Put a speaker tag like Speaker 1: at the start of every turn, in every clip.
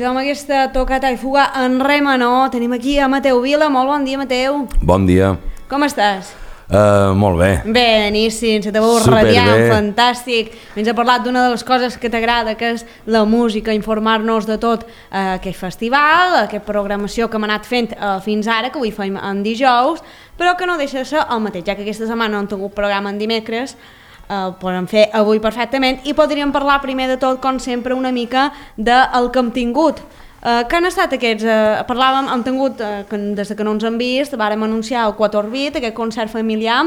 Speaker 1: amb aquesta tocata i fuga en re menor. Tenim aquí a Mateu Vila. Molt bon dia, Mateu.
Speaker 2: Bon dia.
Speaker 1: Com estàs?
Speaker 2: Molt bé.
Speaker 1: Beníssim, se te veu radiant, fantàstic. Ens ha parlat d'una de les coses que t'agrada, que és la música, informar-nos de tot aquest festival, aquesta programació que hem anat fent fins ara, que avui fem en dijous, però que no deixa de ser el mateix, ja que aquesta setmana no hem tingut programa en dimecres, podem fer avui perfectament i podríem parlar primer de tot, com sempre, una mica del que hem tingut. Què han estat aquests? Parlàvem, hem tingut, des que no ens hem vist, vàrem anunciar el 4 Orbit, aquest concert familiar.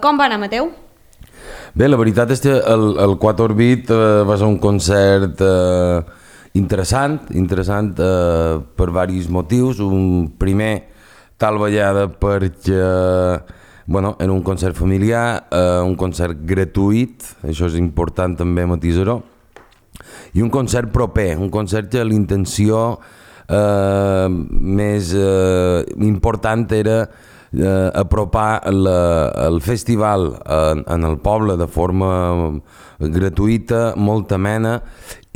Speaker 1: Com va anar, Mateu?
Speaker 2: Bé, la veritat és que el 4 Orbit va ser un concert interessant per diversos motius. Un primer, tal vegada perquè era un concert familiar, un concert gratuït, això és important també matisar-ho, i un concert proper, un concert que l'intenció més important era apropar el festival en el poble de forma gratuïta, molt amena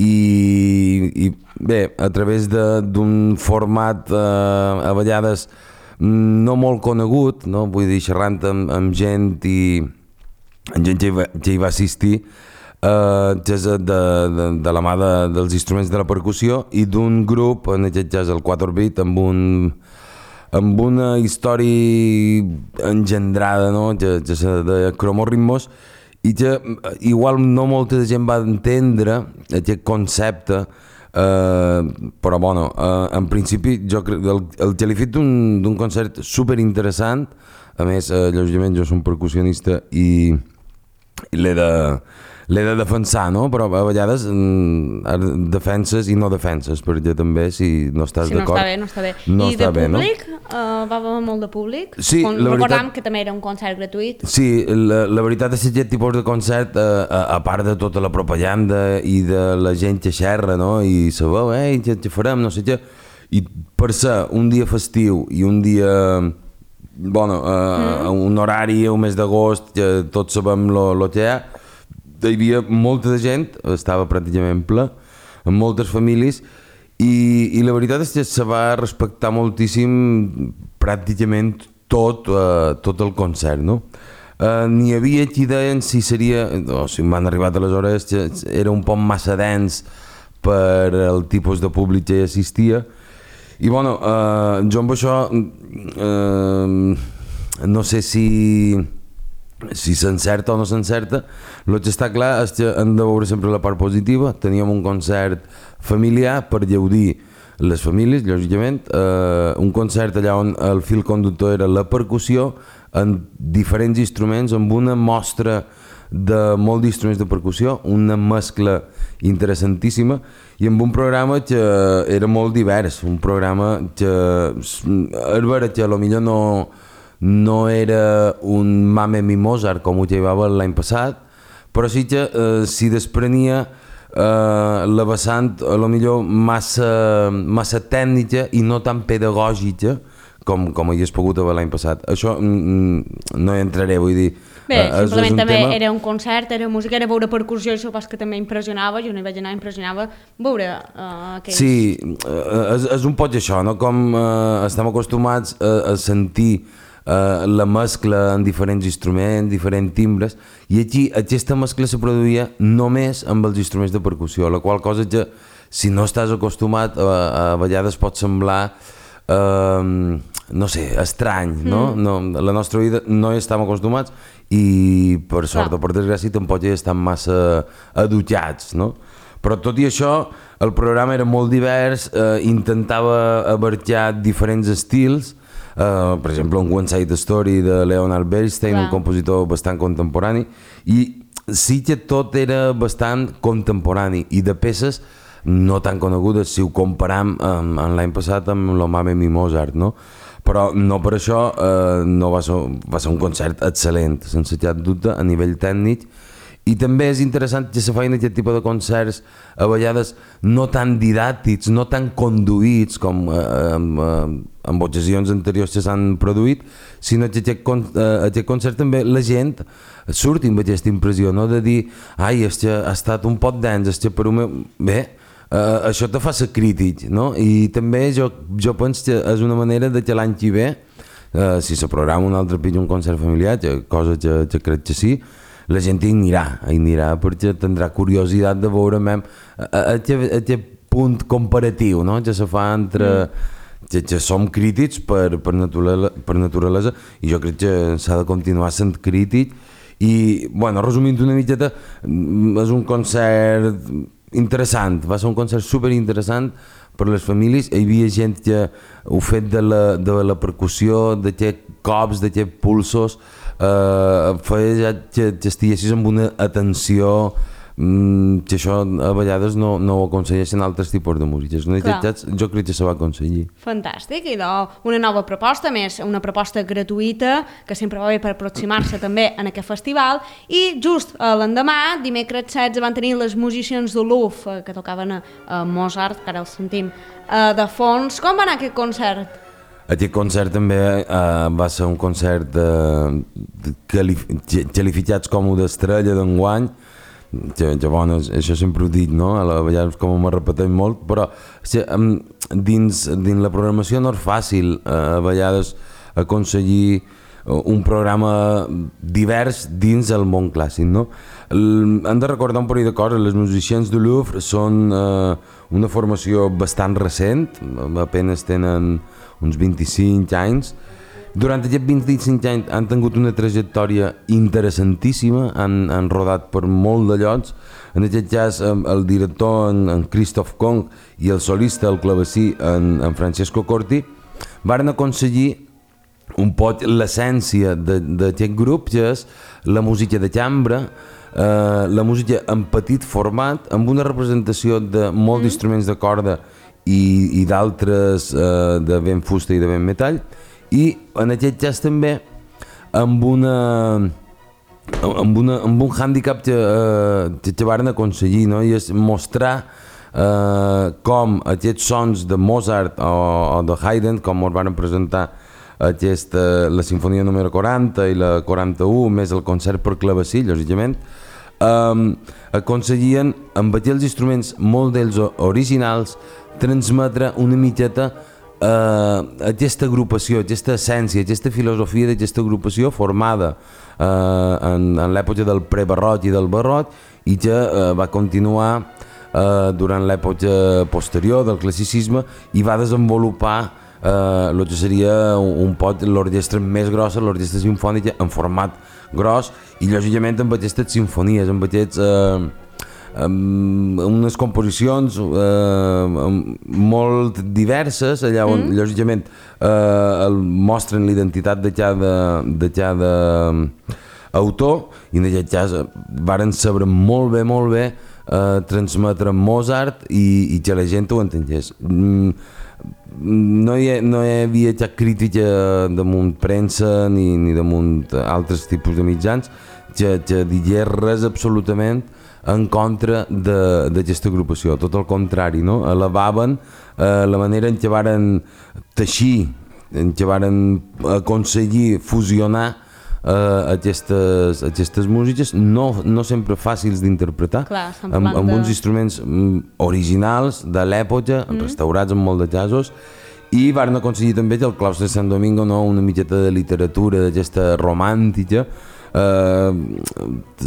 Speaker 2: i bé, a través d'un format a vegades no molt conegut, no? Vull dir, xerrant amb gent que hi va assistir, de la mà dels instruments de la percussió i d'un grup, en aquest cas el 4 Orbit, amb una història engendrada, no? Que de cromorritmos, i que igual no molta gent va entendre aquest concepte, però bueno, en principi jo crec el que l'he fet d'un concert superinteressant. A més, lògicament jo soc percussionista i l'he de defensar, no? Però a vegades defenses i no defenses, perquè també si no estàs d'acord...
Speaker 1: No està bé. I de públic? Va haver molt de públic?
Speaker 2: Sí, la veritat...
Speaker 1: Recordam que també era un concert gratuït.
Speaker 2: Sí, la veritat és que aquest tipus de concert, a part de tota la propaganda i de la gent que xerra, no? I sabeu, què farem, no sé què... I per ser un dia festiu i un dia... un horari, un mes d'agost, que tots sabem lo que hi ha, hi havia molta de gent, estava pràcticament ple, amb moltes famílies, i la veritat és que se va respectar moltíssim pràcticament tot el concert, no? N'hi havia qui deien si seria, o si m'han arribat aleshores, que era un poc massa dens per el tipus de públic que hi assistia, i bueno, jo amb això no sé si s'encerta o no s'encerta. El que està clar és que hem de veure sempre la part positiva. Teníem un concert familiar per gaudir les famílies, lògicament, un concert allà on el fil conductor era la percussió en diferents instruments, amb una mostra de molts instruments de percussió, una mescla interessantíssima i amb un programa que era molt divers, un programa que és vera que potser no era un Mame Mi Mozart com ho llevava l'any passat, però sí que s'hi desprenia la vessant potser massa tècnica i no tan pedagògica com hagués pogut haver l'any passat. Això no hi entraré, vull dir...
Speaker 1: Bé, simplement també era un concert, era música, era veure percussió, i supos que també impressionava, jo no hi vaig anar, impressionava veure aquells...
Speaker 2: Sí, és un poc això, no? Com estem acostumats a sentir la mescla en diferents instruments, diferents timbres, i aquí aquesta mescla se produïa només amb els instruments de percussió, la qual cosa que si no estàs acostumat a vegades pot semblar no sé, estrany, no? La nostra vida no hi estem acostumats i per sort o per desgràcia tampoc hi estem massa adutjats, no? Però tot i això el programa era molt divers, intentava abarcar diferents estils, per exemple un One Side Story de Leonard Bernstein, un compositor bastant contemporani, i sí que tot era bastant contemporani i de peces no tan conegudes si ho comparam amb l'any passat amb lo Mame Mi Mozart, no? Però no per això no va ser un concert excel·lent, sense cap dubte, a nivell tècnic. I també és interessant que se facin aquest tipus de concerts a vegades no tan didàctics, no tan conduïts com en ocasions anteriors que s'han produït, sinó que aquest concert també la gent surti amb aquesta impressió, no? De dir, ai, és que ha estat un poc dens, és que per un... Bé, això te fa ser crític, no? I també jo penso que és una manera de que l'any que ve, si se programa un altre pitjor un concert familiar, cosa que crec que sí, la gent hi anirà perquè tindrà curiositat de veure aquest punt comparatiu, no? Que se fa entre que som crítics per naturalesa, i jo crec que s'ha de continuar sent crític. I, bueno, resumint una miqueta, és un concert interessant, va ser un concert superinteressant per les famílies. Hi havia gent que ho fet de la percussió, d'aquests cops, d'aquests pulsos, feia que estiguessis amb una atenció que això a vegades no ho aconsegueixen altres tipus de músiques. En aquest cas jo crec que se va aconseguir.
Speaker 1: Fantàstic, i una nova proposta, més una proposta gratuïta que sempre va bé per aproximar-se també en aquest festival. I just l'endemà, dimecres 16, van tenir les musicians de l'UF que tocaven a Mozart, que ara els sentim de fons. Com va anar aquest concert?
Speaker 2: Aquest concert també va ser un concert qualificats com d'estrella d'enguany. Bueno, això sempre ho dic, no? A vegades com me repeteix molt, però dins la programació no és fàcil a vegades aconseguir un programa divers dins el món clàssic, no? Hem de recordar un parell de coses. Les musicians de Louvre són una formació bastant recent, apenas tenen uns 25 anys. Durant aquests 25 anys han tingut una trajectòria interessantíssima, han rodat per molt de llocs. En aquest cas, el director, en Christoph Kong, i el solista, el clavecí, en Francesco Corti, varen aconseguir un poc l'essència d'aquest grup, que és la música de cambra, la música en petit format, amb una representació de molts instruments de corda i d'altres de vent fusta i de vent metall, i en aquest cas també amb un hàndicap que varen aconseguir, no? I és mostrar com aquests sons de Mozart o de Haydn, com ens van presentar la sinfonia número 40 i la 41, més el concert per clavecí, lògicament, aconseguien amb aquells instruments, molt d'ells originals, transmetre una miqueta aquesta agrupació, aquesta essència, aquesta filosofia d'aquesta agrupació formada en l'època del prebarroc i del barroc, i que va continuar durant l'època posterior del classicisme i va desenvolupar el que seria un poc l'orquestra més grossa, l'orquestra simfònica en format gros, i lògicament amb aquestes sinfonies, amb aquests unes composicions molt diverses, allà on lògicament mostren l'identitat de cada autor, i en aquest cas varen saber molt bé transmetre Mozart i que la gent ho entengués. No hi havia cap crítica damunt premsa ni damunt altres tipus de mitjans que digués res absolutament en contra d'aquesta agrupació, tot el contrari, no? Elevaven la manera en què varen teixir, en què varen aconseguir fusionar aquestes músiques, no sempre fàcils d'interpretar, amb uns instruments originals de l'època, restaurats en molt de casos, i varen aconseguir també que el claustre de Sant Domingo, una miqueta de literatura d'aquesta romàntica,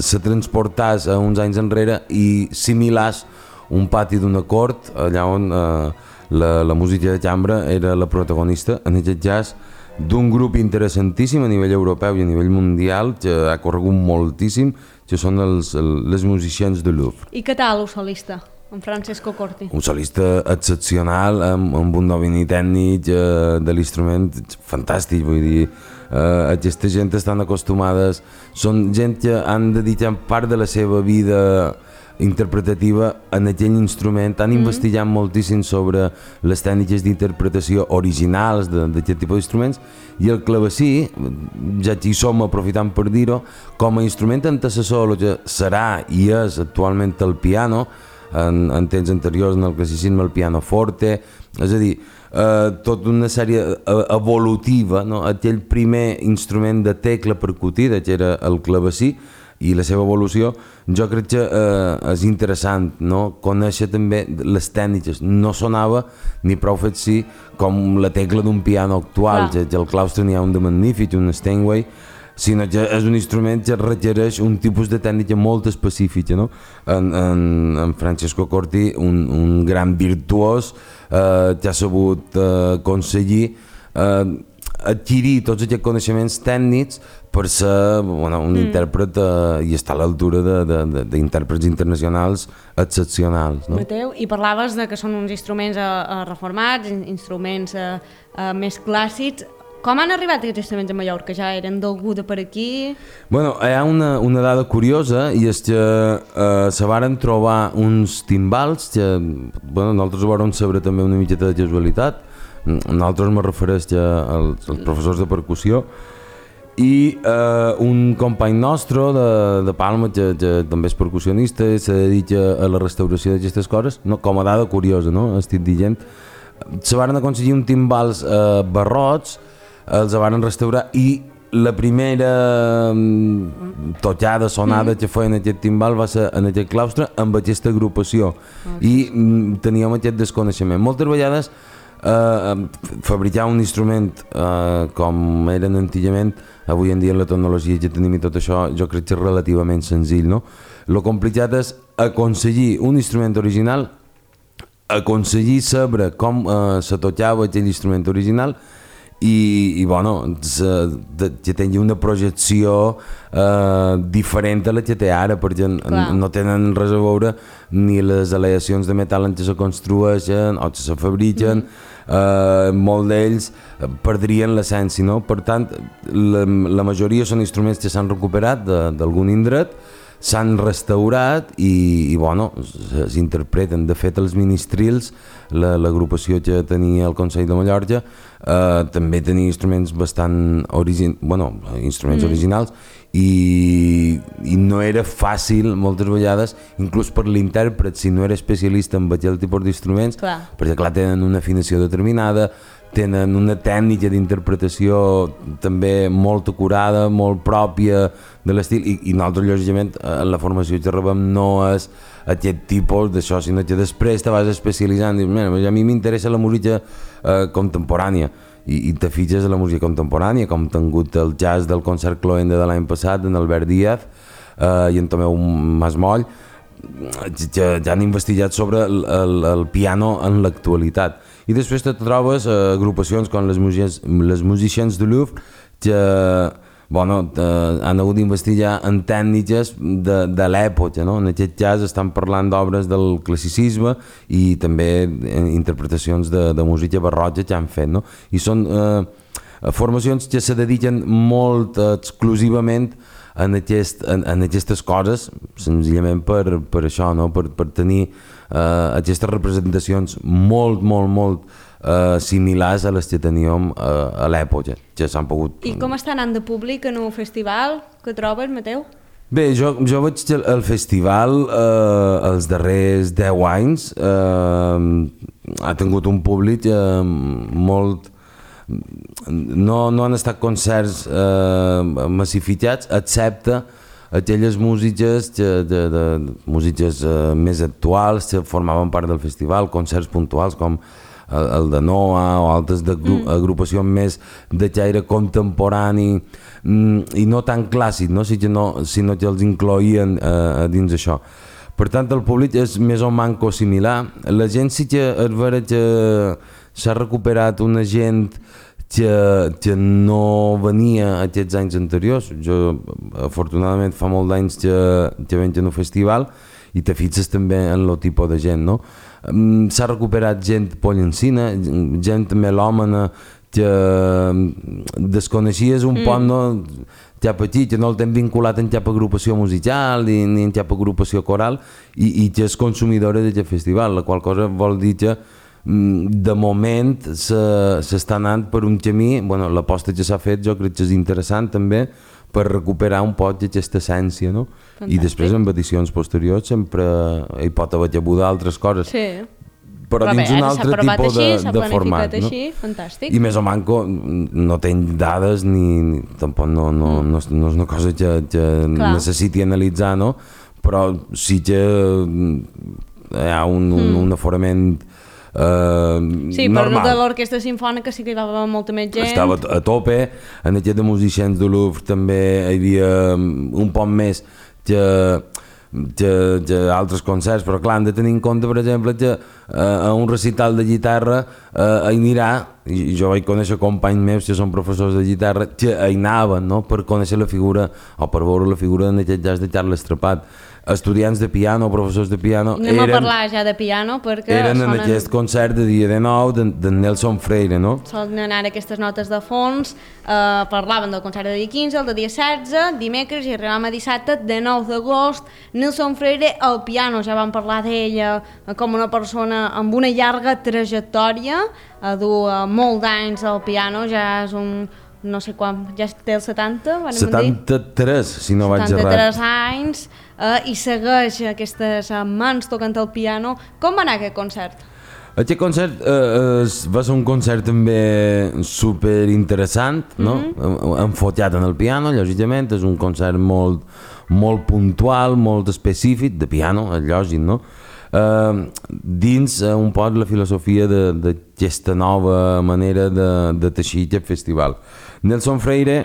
Speaker 2: se transportàs a uns anys enrere i similàs un pati d'una cort allà on la música de cambra era la protagonista, en aquest cas d'un grup interessantíssim a nivell europeu i a nivell mundial, que ha corregut moltíssim, que són les musicians de Louvre.
Speaker 1: I què tal el solista, en Francesco Corti?
Speaker 2: Un solista excepcional, amb un domini tècnic de l'instrument fantàstic, vull dir, aquesta gent estan acostumades, són gent que han dedicat part de la seva vida interpretativa en aquell instrument, han investigat moltíssim sobre les tècniques d'interpretació originals d'aquest tipus d'instruments, i el clavecí, ja que hi som aprofitant per dir-ho, com a instrument antecessor el que serà i és actualment el piano, en temps anteriors en el classicisme el piano forte, és a dir, tota una sèrie evolutiva, no? Aquell primer instrument de tecla percutida, que era el clavecí, i la seva evolució, jo crec que és interessant, no? Conèixer també les tècniques. No sonava ni prou fet sí com la tecla d'un piano actual, que al claustre n'hi ha un de magnífic, un Steinway, sinó que és un instrument que requereix un tipus de tècnica molt específica, no? En Francesco Corti, un gran virtuós, que ha sabut aconseguir adquirir tots aquests coneixements tècnics per ser un intèrpret i estar a l'altura d'intèrprets internacionals excepcionals. No?
Speaker 1: Mateu, i parlaves de que són uns instruments reformats, instruments més clàssics. Com han arribat aquests instruments a Mallorca? Ja eren d'algú de per aquí?
Speaker 2: Bueno, hi ha una dada curiosa i és que se varen trobar uns timbals que nosaltres ho vam saber també una miqueta de casualitat. Nosaltres me refereix als professors de percussió i un company nostre de Palma que també és percussionista i se dedica a la restauració d'aquestes coses, com a dada curiosa, no? Estic dient, se varen aconseguir un timbals barrots, els varen restaurar i la primera tocada, sonada que feien aquest timbal va ser en aquest claustre amb aquesta agrupació i teníem aquest desconeixement. Moltes vegades fabricar un instrument com eren antigament, avui en dia la tecnologia que tenim i tot això jo crec que és relativament senzill, no? Lo complicat és aconseguir un instrument original, aconseguir saber com se tocava aquell instrument original i que tingui una projecció diferent a la que té ara, perquè no tenen res a veure ni les aleacions de metall en què se construeixen o que se fabriquen, molt d'ells perdrien l'essència, no? Per tant, la majoria són instruments que s'han recuperat d'algun indret, s'han restaurat i s'interpreten. De fet, els ministrils, l'agrupació que tenia el Consell de Mallorca, també tenia instruments bastant originals i no era fàcil moltes vegades, inclús per l'intèrpret, si no era especialista en aquell tipus d'instruments, perquè clar, tenen una afinació determinada, tenen una tècnica d'interpretació també molt acurada, molt pròpia de l'estil i nosaltres lògicament en la formació que rebem no és aquest tipus d'això, sinó que després te vas especialitzant i dius, a mi m'interessa la música contemporània i te fitxes a la música contemporània, com he tingut el jazz del concert Cloenda de l'any passat en Albert Díaz i en Tomeu Masmoll, que ja han investigat sobre el piano en l'actualitat. I després te trobes agrupacions com les Musicians du Louvre que han hagut d'investigar en tècniques de l'època, no? En aquest cas estan parlant d'obres del classicisme i també interpretacions de música barroca que han fet, no? I són formacions que se dediquen molt exclusivament en aquestes coses, senzillament per això, no? Per tenir aquestes representacions molt similars a les que teníem a l'època, que s'han pogut...
Speaker 1: I com està anant de públic en un festival que trobes, Mateu?
Speaker 2: Bé, jo veig que el festival els darrers 10 anys ha tingut un públic molt... No han estat concerts massificats, excepte aquelles músiques més actuals que formaven part del festival, concerts puntuals com el de Noa o altres agrupacions més de caire contemporani i no tan clàssic, no? Sinó que els incloïen dins això. Per tant, el públic és més o manco similar. La gent sí que és vera que s'ha recuperat una gent que no venia aquests anys anteriors. Jo, afortunadament, fa molt d'anys que venc en un festival i te fixes també en el tipus de gent, no? S'ha recuperat gent pollencina, gent melòmana que desconeixies un poc, no? Cap aquí, que no el tenen vinculat en cap agrupació musical ni en cap agrupació coral i que és consumidora d'aquest festival, la qual cosa vol dir que de moment s'està anant per un camí, l'aposta que s'ha fet jo crec que és interessant també per recuperar un poc aquesta essència, no? Fantàstic. I després en edicions posteriors sempre hi pot haver d'altres coses.
Speaker 1: Sí.
Speaker 2: però dins un altre tipus de format.
Speaker 1: Així, fantàstic.
Speaker 2: I més o manco no tenc dades ni tampoc no és una cosa que necessiti analitzar, no? Però sí que hi ha un aforament
Speaker 1: sí,
Speaker 2: normal.
Speaker 1: Però de l'orquestra simfònica sí que hi va molta més gent.
Speaker 2: Estava a tope, en aquest de musicians de Louvre també hi havia un poc més que altres concerts, però clar, hem de tenir en compte, per exemple, que a un recital de guitarra hi anirà, i jo vaig conèixer companys meus que són professors de guitarra que hi anaven, no?, per conèixer la figura o per veure la figura en aquest cas de Carles Trepat. Estudiants de piano, professors de piano,
Speaker 1: anem a parlar ja de piano perquè
Speaker 2: eren en aquest concert de dia de nou de Nelson Freire, no?
Speaker 1: Solen anar aquestes notes de fons, parlaven del concert de dia 15, el de dia 16, dimecres, i arribàvem a dissabte, de 9 d'agost, Nelson Freire al piano. Ja vam parlar d'ella com una persona amb una llarga trajectòria, dur molt d'anys al piano, ja és un... no sé quan, ja té el 70, van
Speaker 2: 73, si no vaig errat.
Speaker 1: 73 anys, i segueix aquestes mans tocant el piano. Com va anar aquest concert?
Speaker 2: Aquest concert va ser un concert també super interessant, no? Enfocat en el piano, lògicament, és un concert molt puntual, molt específic, de piano, és lògic, no? Dins un poc la filosofia d'aquesta nova manera de teixir aquest festival. Nelson Freire,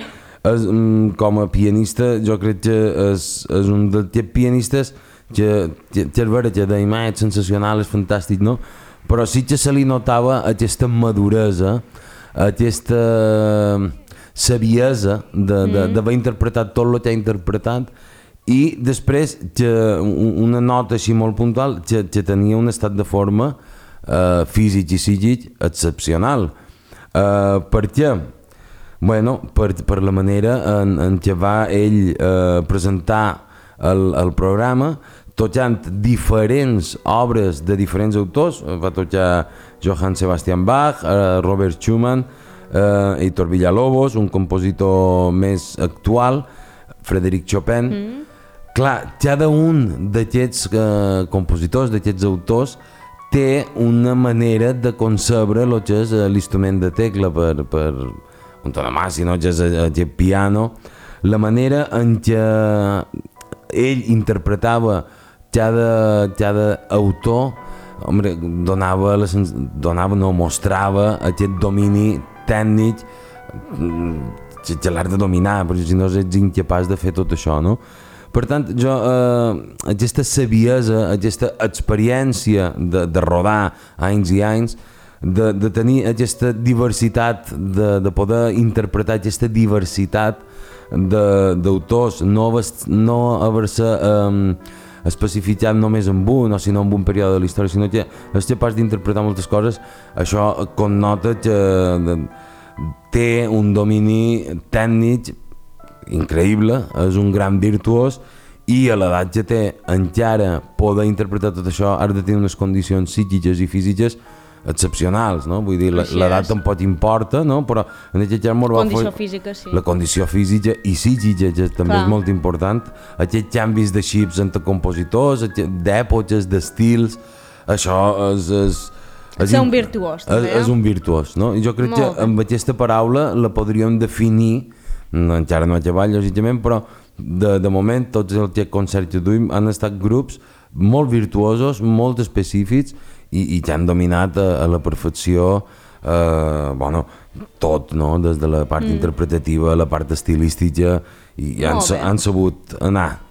Speaker 2: com a pianista, jo crec que és un d'aquests pianistes que és vera que d'imatge sensacional, és fantàstic, no? Però sí que se li notava aquesta maduresa, aquesta saviesa d'haver interpretat tot el que ha interpretat, i després una nota així molt puntual que tenia un estat de forma físic i psíquic excepcional. Per què? Bueno, per la manera en què va ell presentar el programa, tocant diferents obres de diferents autors. Va tocar Johann Sebastian Bach, Robert Schumann, Héctor Villalobos, un compositor més actual, Frédéric Chopin. Clar, cada un d'aquests compositors, d'aquests autors, té una manera de concebre el que és l'instrument de tecla per antonomàsia, no? Que és aquest piano, la manera en què ell interpretava cada autor, mostrava aquest domini tècnic que l'has de dominar, perquè si no ets incapaç de fer tot això, no? Per tant, jo, aquesta saviesa, aquesta experiència de rodar anys i anys, de tenir aquesta diversitat, de poder interpretar aquesta diversitat d'autors, no haver-se especificat només en un, o sinó en un període de la història, sinó que és capaç d'interpretar moltes coses, això connota que té un domini tècnic increïble, és un gran virtuós, i a l'edat que té encara poder interpretar tot això has de tenir unes condicions psíquiques i físiques excepcionals, no? Vull dir, l'edat tampoc importa, no? Però en aquest cas
Speaker 1: condició física, sí.
Speaker 2: La condició física i psíquica, que també és molt important, aquests canvis de xips entre compositors, d'èpoques, d'estils, això és
Speaker 1: un virtuós, també.
Speaker 2: És un virtuós, no? I jo crec que amb aquesta paraula la podríem definir, encara no a treball, lògicament, però de moment tots els concerts que duim han estat grups molt virtuosos, molt específics i que han dominat a la perfecció tot, no? Des de la part interpretativa, la part estilística, i han sabut anar.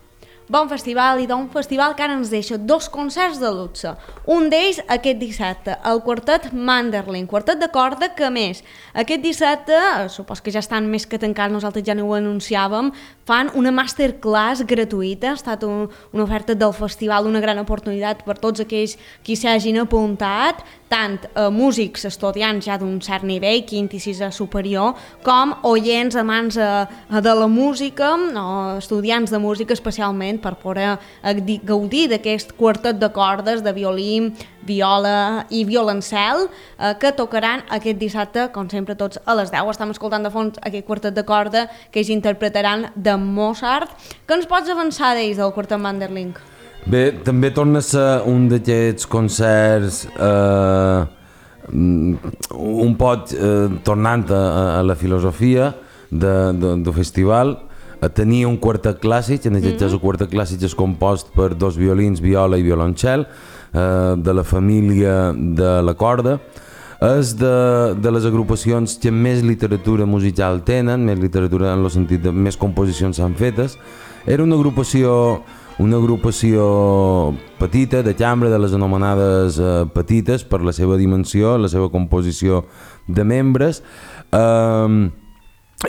Speaker 1: Bon festival, i d'un festival que ara ens deixa 2 concerts de luxe. Un d'ells aquest dissabte, el quartet Manderlin, quartet de corda que més. Aquest dissabte, supos que ja estan més que tancats, nosaltres ja no ho anunciàvem, fan una masterclass gratuïta, ha estat una oferta del festival, una gran oportunitat per tots aquells qui s'hagin apuntat, tant músics estudiants ja d'un cert nivell, quint i sisè superior, com oients amants de la música, o estudiants de música especialment, per poder gaudir d'aquest quartet de cordes de violí, viola i violoncel que tocaran aquest dissabte, com sempre, tots a les 10. Estem escoltant de fons aquest quartet de corda que ells interpretaran de Mozart. Què ens pots avançar d'ells, del quartet Manderlin?
Speaker 2: Bé, també torna a ser un d'aquests concerts un pot tornant a la filosofia del festival. Tenia un quartet clàssic, en aquest cas el quartet clàssic és compost per 2 violins, viola i violoncel, de la família de la corda. És de les agrupacions que més literatura musical tenen, més literatura en el sentit de més composicions s'han fetes. Era una agrupació petita, de cambra, de les anomenades petites per la seva dimensió, la seva composició de membres,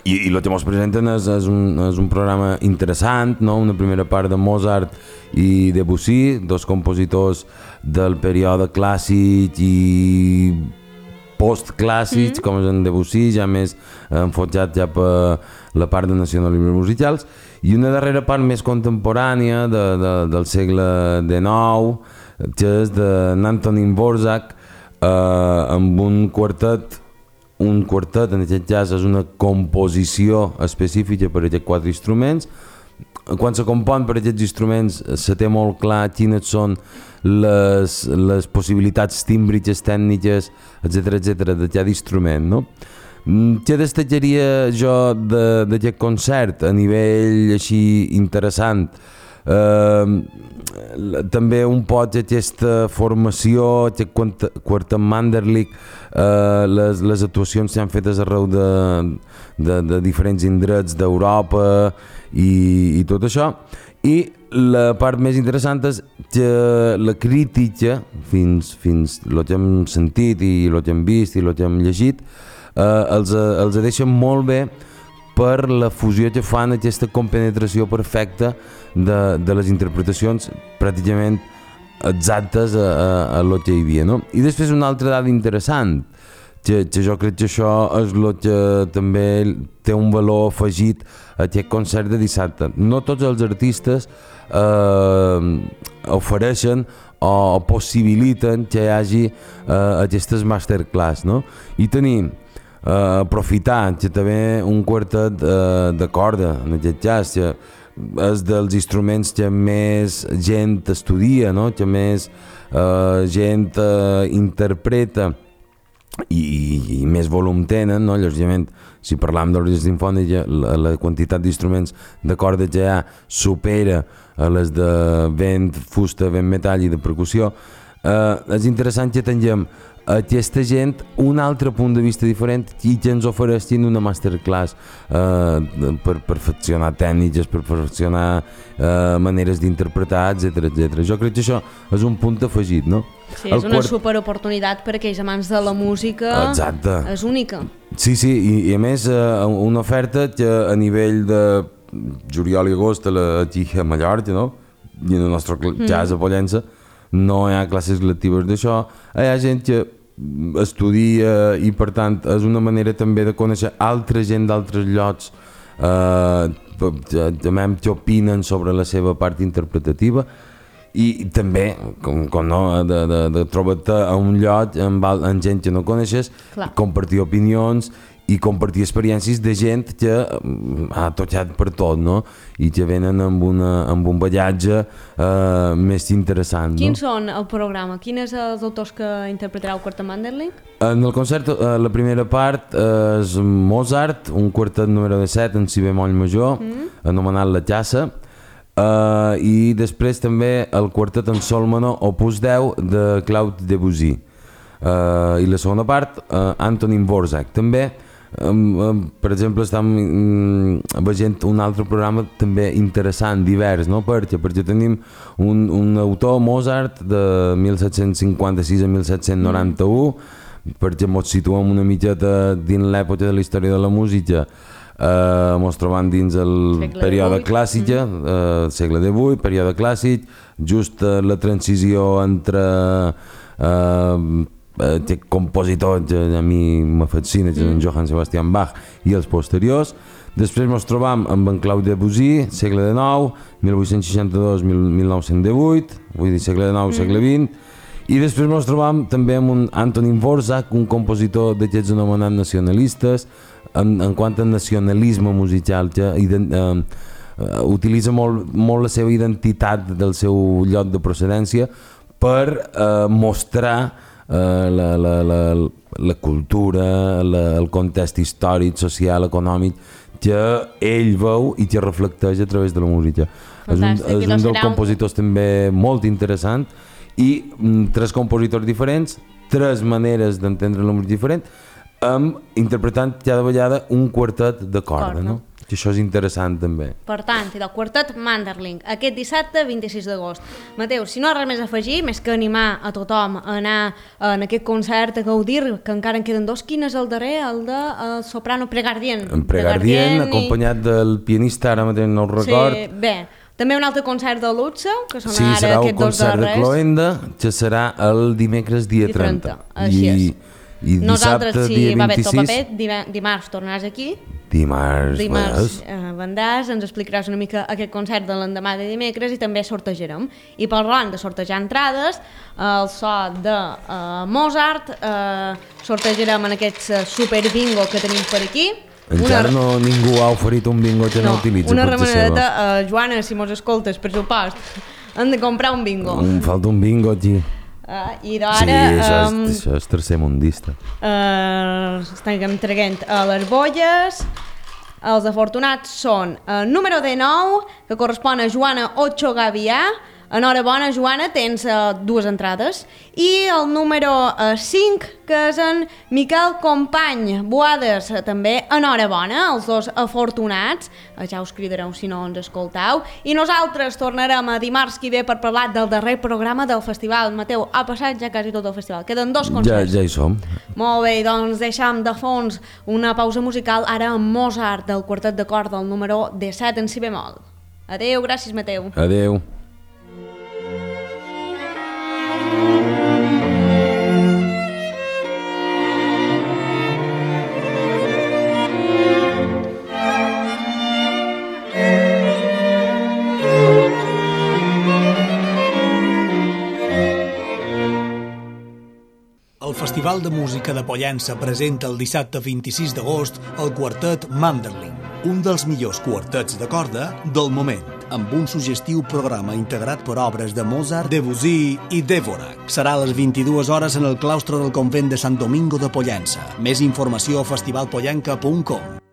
Speaker 2: i el que ens presenten és un programa interessant, no? Una primera part de Mozart i Debussy, 2 compositors del període clàssic i postclàssics, com és en Debussy, ja més enfotjat ja per la part de nacionalismes musicals, i una darrera part més contemporània del segle XIX, que és d'Antonín Dvořák, amb un quartet, en aquest cas és una composició específica per a aquests 4 instruments. Quan se compon per aquests instruments se té molt clar quines són les possibilitats tímbriques, tècniques, etc de cada instrument, no? Què destacaria jo d'aquest concert a nivell així interessant? També un poc aquesta formació, aquest quartet Manderlich, les actuacions s'han fetes arreu de diferents indrets d'Europa i tot això. I la part més interessant és que la crítica, fins el que hem sentit i el que hem vist i el que hem llegit, els deixen molt bé per la fusió que fan, aquesta compenetració perfecta de les interpretacions pràcticament exactes a lo que hi havia, no? I després una altra dada interessant, que jo crec que això és el que també té un valor afegit a aquest concert de dissabte. No tots els artistes ofereixen o possibiliten que hi hagi aquestes masterclass, no? I tenim aprofitar que també un quartet de corda, en aquest cas, que és dels instruments que més gent estudia, no? Que més gent interpreta i més volum tenen, no? Lògicament, si parlam d'orquestra simfònica, la quantitat d'instruments de corda que hi ha supera a les de vent, fusta, vent metall i de percussió. És interessant que tinguem aquesta gent un altre punt de vista diferent i que ens ofereixin una masterclass per perfeccionar tècniques, per perfeccionar maneres d'interpretar, etc. Jo crec que això és un punt afegit, no?
Speaker 1: Sí, és una superoportunitat per aquells amants de la música.
Speaker 2: Exacte.
Speaker 1: És única.
Speaker 2: Sí, i a més una oferta que a nivell de juliol i agost aquí a Mallorca, no? I en el nostre cas a Pollença no hi ha classes lectives d'això, hi ha gent que estudia i per tant és una manera també de conèixer altra gent d'altres llocs que opinen sobre la seva part interpretativa i també com no, de trobar-te a un lloc amb gent que no coneixes, compartir opinions i compartir experiències de gent que ha tocat per tot, no? I que venen amb un ballatge més interessant.
Speaker 1: Quins són el programa? Quins són els autors que interpretarà el quartet Manderlich?
Speaker 2: En el concert, la primera part és Mozart, un quartet número 7 en si bemoll major, anomenat La Casa, i després també el quartet en sol menor opus 10 de Claude Debussy. I la segona part, Antonín Dvořák. També per exemple estem veient un altre programa també interessant, divers, no? Perquè tenim un autor, Mozart, de 1756 a 1791, perquè ens situem una miqueta dins l'època de la història de la música, ens trobam dins el període clàssic, segle XVIII, període clàssic, just la transició entre aquest compositor que a mi m'afascina, que és en Johann Sebastian Bach, i els posteriors. Després ens trobam amb en Claude Debussy, segle XIX, 1862-1918, vull dir segle XIX, segle XX, i després ens trobam també amb un Antonín Dvořák, un compositor d'aquests anomenats nacionalistes, en quant a nacionalisme musical, que utilitza molt la seva identitat del seu lloc de procedència per mostrar la cultura, el context històric, social, econòmic que ell veu i que reflecteix a través de la música.
Speaker 1: Fantàstic.
Speaker 2: És un dels compositors també molt interessant i 3 compositors diferents, 3 maneres d'entendre la música diferent, interpretant cada vegada un quartet de corda, no? Que això és interessant també.
Speaker 1: Per tant, el quartet Manderling, aquest dissabte 26 d'agost. Mateu, si no hi ha res més a afegir, més que animar a tothom a anar en aquest concert, a gaudir, que encara en queden 2, quin és el darrer? El de soprano Pregardien.
Speaker 2: En Pregardien, acompanyat del pianista, ara mateix no el record.
Speaker 1: Sí, bé. També un altre concert de luxe, que són
Speaker 2: sí,
Speaker 1: ara aquests 2 darrers. Sí, serà un concert
Speaker 2: de Cloenda, que serà el dimecres dia 30.
Speaker 1: Així és.
Speaker 2: I
Speaker 1: nosaltres,
Speaker 2: dissabte,
Speaker 1: si va bé tot
Speaker 2: 26...
Speaker 1: paper, dimarts tornaràs aquí.
Speaker 2: Dimarts
Speaker 1: vendràs, ens explicaràs una mica aquest concert de l'endemà de dimecres i també sortejarem. I parlant de sortejar entrades, el so de Mozart, sortejarem en aquest super bingo que tenim per aquí.
Speaker 2: Encara ningú ha oferit un bingo que no utilitza.
Speaker 1: Una remenadeta, Joana, si mos escoltes, per supost, hem de comprar un bingo.
Speaker 2: Em falta un bingo aquí.
Speaker 1: I d'ara...
Speaker 2: Sí, això és tercermundista.
Speaker 1: Estem traient a les bolles. Els afortunats són el número 19, que correspon a Joana Ocho Gavià. Enhorabona, Joana, tens 2 entrades. I el número 5, que és en Miquel Company Boades, també enhorabona, els 2 afortunats. Ja us cridareu si no ens escoltau. I nosaltres tornarem a dimarts que ve per parlar del darrer programa del festival. Mateu, ha passat ja quasi tot el festival. Queden 2 concerts.
Speaker 2: Ja hi som.
Speaker 1: Molt bé, doncs deixem de fons una pausa musical ara amb Mozart del quartet de corda, el número 17 en si bemol. Adeu, gràcies Mateu.
Speaker 2: Adeu.
Speaker 3: El Festival de Música de Pollença presenta el dissabte 26 d'agost el quartet Manderling, un dels millors quartets de corda del moment, amb un suggestiu programa integrat per obres de Mozart, Debussy i Dvořák. Serà a les 22 hores en el claustre del convent de Sant Domingo de Pollença. Més informació a festivalpollenca.com.